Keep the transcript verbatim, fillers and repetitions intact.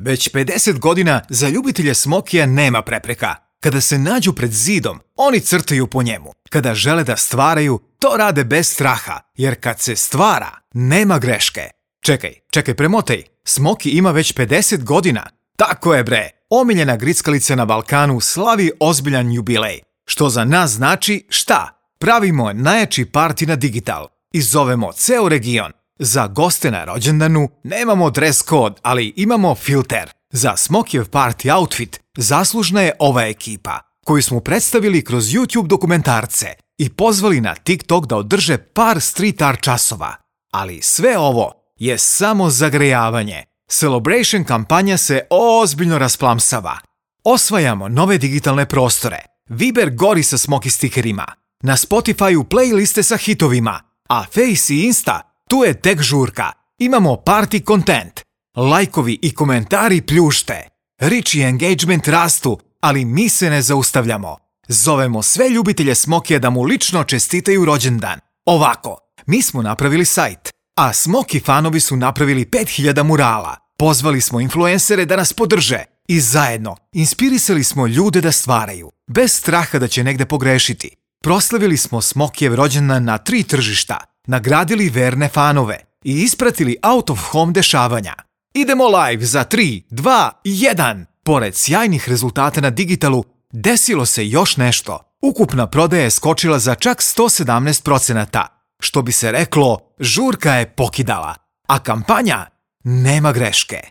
Već pedeset godina za ljubitelje Smokija nema prepreka. Kada se nađu pred zidom, oni crtaju po njemu. Kada žele da stvaraju, to rade bez straha, jer kad se stvara, nema greške. Čekaj, čekaj, premotaj. Smoki ima već pedeset godina. Tako je bre, omiljena grickalica na Balkanu slavi ozbiljan jubilej. Što za nas znači šta? Pravimo najjači parti na digital i zovemo ceo region. Za goste na rođendanu nemamo dress code, ali imamo filter. Za Smokijev party outfit zaslužna je ova ekipa, koju smo predstavili kroz YouTube dokumentarce i pozvali na TikTok da održe par street art časova. Ali sve ovo je samo zagrejavanje. Celebration kampanja se ozbiljno rasplamsava. Osvajamo nove digitalne prostore. Viber gori sa Smoki stikerima. Na Spotify-u playliste sa hitovima. A Face i Insta, tu je tek žurka. Imamo party content. Lajkovi i komentari pljušte. Reach i engagement rastu, ali mi se ne zaustavljamo. Zovemo sve ljubitelje Smokija da mu lično čestitaju rođendan. Ovako, mi smo napravili sajt, a Smoki fanovi su napravili pet hiljada murala. Pozvali smo influencere da nas podrže i zajedno inspirisali smo ljude da stvaraju, bez straha da će negde pogrešiti. Proslavili smo Smokijev rođendan na tri tržišta, nagradili verne fanove i ispratili out of home dešavanja. Idemo live za tri, dva, jedan. Pored sjajnih rezultata na digitalu, desilo se još nešto. Ukupna prodaja je skočila za čak sto sedamnaest procenata. Što bi se reklo, žurka je pokidala, a kampanja nema greške.